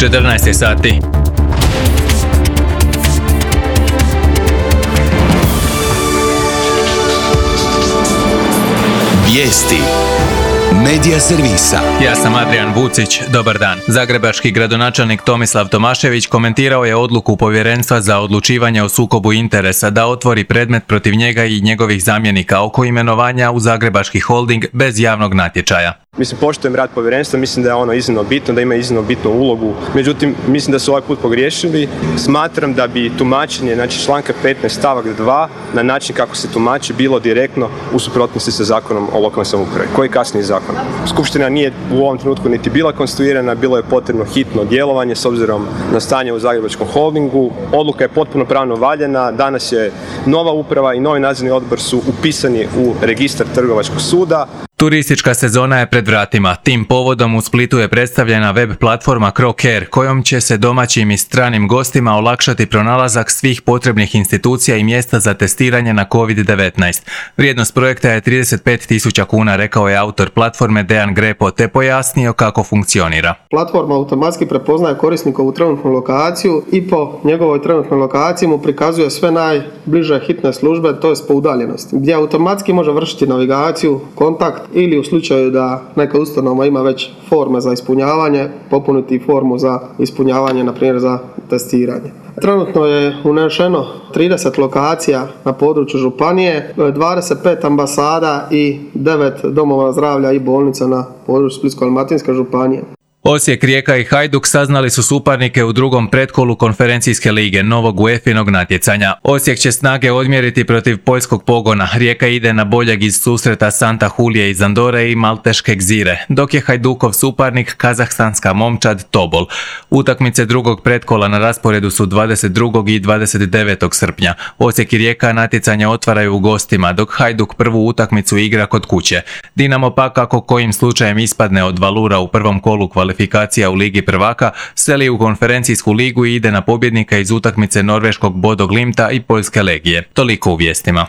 14 sati. Vijesti Medija servisa. Ja sam Adrian Vucić, dobar dan. Zagrebački gradonačelnik Tomislav Tomašević komentirao je odluku Povjerenstva za odlučivanje o sukobu interesa da otvori predmet protiv njega i njegovih zamjenika oko imenovanja u Zagrebački holding bez javnog natječaja. Mislim, poštujem rad povjerenstva, mislim da je ono iznimno bitno, da ima iznimno bitnu ulogu. Međutim, mislim da su ovaj put pogriješili. Smatram da bi tumačenje, znači članka 15 stavak 2, na način kako se tumači, bilo direktno u suprotnosti sa zakonom o lokalnoj samoupravi, koji je kasniji zakon. Skupština nije u ovom trenutku niti bila konstituirana, bilo je potrebno hitno djelovanje s obzirom na stanje u Zagrebačkom holdingu. Odluka je potpuno pravno valjana, danas je nova uprava i novi nadzorni odbor su upisani u registar Trgovačkog suda. Turistička sezona je pred vratima. Tim povodom u Splitu je predstavljena web platforma CroCare, kojom će se domaćim i stranim gostima olakšati pronalazak svih potrebnih institucija i mjesta za testiranje na COVID-19. Vrijednost projekta je 35.000 kuna, rekao je autor platforme Dejan Grepo, te pojasnio kako funkcionira. Platforma automatski prepoznaje korisnikovu trenutnu lokaciju i po njegovoj trenutnoj lokaciji mu prikazuje sve najbliže hitne službe, to je po udaljenosti, gdje automatski može vršiti navigaciju, kontakt ili u slučaju da neka ustanova ima već forme za ispunjavanje, popuniti formu za ispunjavanje, na primjer za testiranje. Trenutno je unešeno 30 lokacija na području županije, 25 ambasada i 9 domova zdravlja i bolnica na području Splitsko-dalmatinske županije. Osijek, Rijeka i Hajduk saznali su suparnike u drugom pretkolu konferencijske lige, novog UEFA-inog natjecanja. Osijek će snage odmjeriti protiv poljskog Pogona, Rijeka ide na boljeg iz susreta Santa Hulije iz Andore i Malteške Gzire, dok je Hajdukov suparnik kazahstanska momčad Tobol. Utakmice drugog pretkola na rasporedu su 22. i 29. srpnja. Osijek i Rijeka natjecanje otvaraju u gostima, dok Hajduk prvu utakmicu igra kod kuće. Dinamo pak, ako kojim slučajem ispadne od Valura u prvom kolu kvalifikacija u Ligi prvaka, seli u konferencijsku ligu i ide na pobjednika iz utakmice norveškog Bodo Glimta i poljske Legije. Toliko u vijestima.